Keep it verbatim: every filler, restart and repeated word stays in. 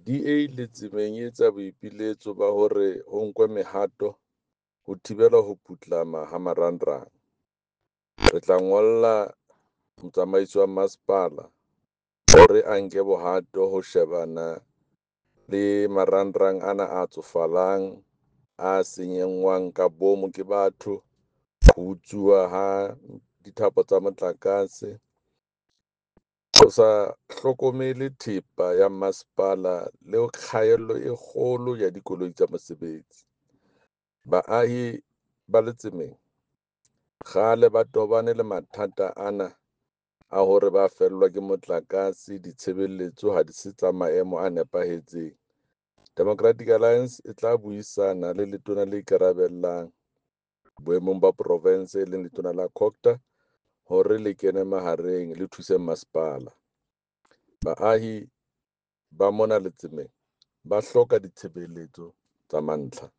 D A Letsemeng e etsa boipiletso ba hore ho nkwe mehato ho thibela ho putlama ha marangrang. Re tla ngolla motsamaisi wa masepala hore a nke bohato ho shebana le marangrang ana a tsofalang, a senyengwang ka bomo ke batho, ho utsuwa ha dithapo tsa motlakase, ho sa hlokomele thepa ya masepala le kgaello e kgolo ya dikoloi tsa mosebetsi. Baahi ba Letsemeng kgale ba tobane le mathata ana a hore ba fellwa ke motlakase ditshebeletso ha di se tsa maemo a nepahetseng. Democratic Alliance e tla buisana le letona le ikarabellang boemong ba province e leng letona la Cogta hore le kene mahareng le thuse masepala. Baahi ba mona Letsemeng ba hloka ditshebeletso tsa mantlha.